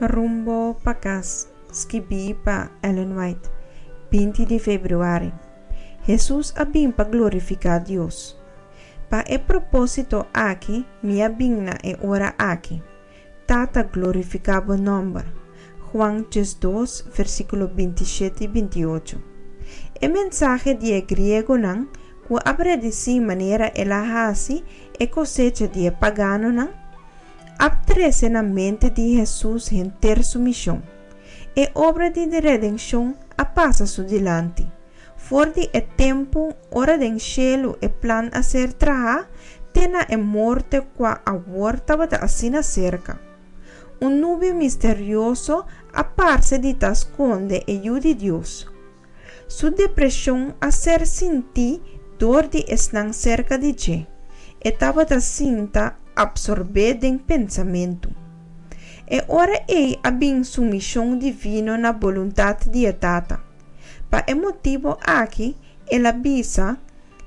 Rumbo pa kas, skibí pa Ellen White, 20 di febrüari. Hesus a bin pa glorifiká Dios. Pa e propósito aki mi a bin na e ora aki. Tata glorifiká bo nòmber. Juan 12, versíkulo 27 i 28. E mensahe di e griegonan ku a predisí manera el a hasi e kosecha di e paganonan, a trese na mente di Hesus henter su mishon. E obra di redenshon a pasa su dilanti. For di e tempu ora den shelu e plan a ser trahá te na e morte kua awor tabata asina serka. Un nubia misterioso a parse di ta skonde e Yu di Dios. Su depreshon a ser sintí dor di esnan serka di dje. E tabata sinta apsorbé den pensamentu. E ora ei a bin su mishon divino na boluntat di e Tata. Pa e motibu aki el a bisa,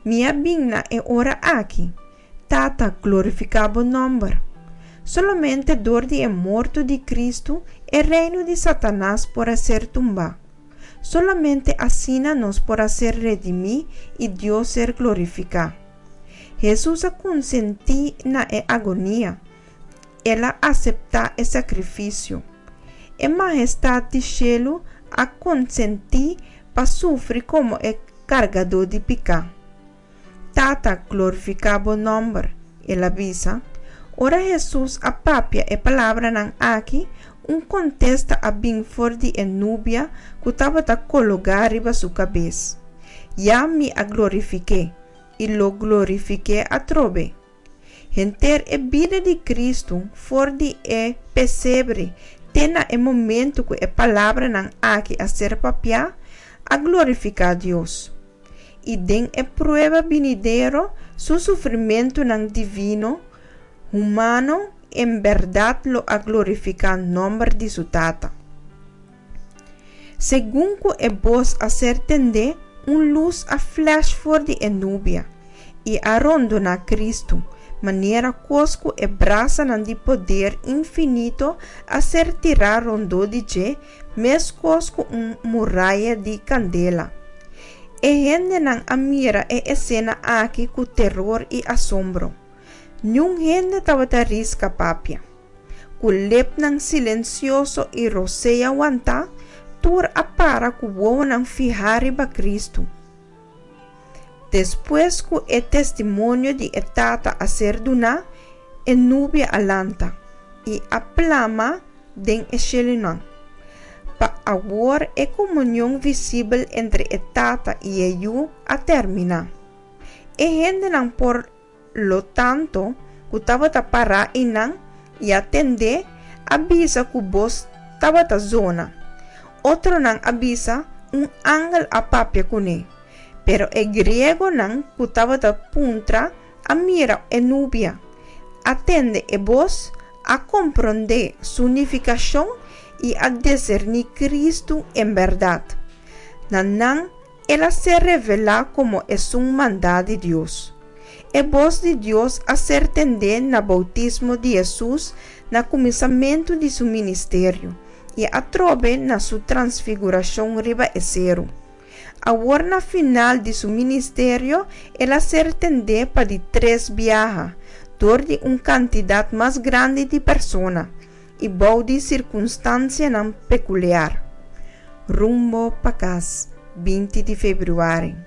Mi a bin na e ora aki. Tata, glorifiká bo nòmber. Solamente dor di e morto di Kristu e reino di Satanas por a ser tumbá. Solamente asina nos por a ser redimí i Dios ser glorifiká. Hesus a konsentí na e agonia. El a aseptá e sakrifisio. E Mahestat di shelu a konsentí pa sufri komo e kargadó di piká. Tata, glorifiká bo nòmber, el a bisa. Ora Hesus a papia e palabranan aki, un kontesta a bin for di e nubia ku tabata kologá riba su kabes, Ya mi a glorifik'é, i lo glorifik'é atrobe. Henter e bida di Kristu for di e pesebre te na e momentu ku e palabranan aki a ser papiá, a glorifiká Dios. I den e prueba binidero, su sufrimentunan divino, humano, en bèrdat lo a glorifiká nòmber di su Tata. Segun ku e bos a ser tendé, un lus a flash for di e nubia i a rondoná Kristu, manera kos ku e brasanan di poder infinito a ser tirá rondó di dje meskos ku un muraya di kandela. E hendenan a mira e esena aki ku teror i asombro. Niun hende tabata riska papia. Ku lepnan silensioso i rosea wantá, tur a para ku wowonan fihá riba Kristu. Despues ku e testimonio di e Tata a ser duná, e nubia a lanta i a plama den e shelunan. Pa awor e komunion visibel entre e Tata i e Yu a terminá. E hendenan por lo tanto, ku tabata pará einan i a tend'é, a bisa ku bos tabata zona. Otronan a bisa, Un angel a papia kuné. Pero e griegonan ku tabata puntra a mira e nubia, a tende e bos, a komprondé su nifikashon i a diserní Kristu en bèrdat. Na nan El a ser revelá komo esun mandá di Dios. E bos di Dios a ser tendé na boutismo di Hesus na kuminsamentu di su ministerio i atrobe na su transfigurashon riba e seru. Awor na final di su ministerio el a ser tendé pa di tres biaha dor di un kantidat mas grandi di persona i bou di sirkunstansianan pekuliar. Rumbo pa kas, 20 di febrüari.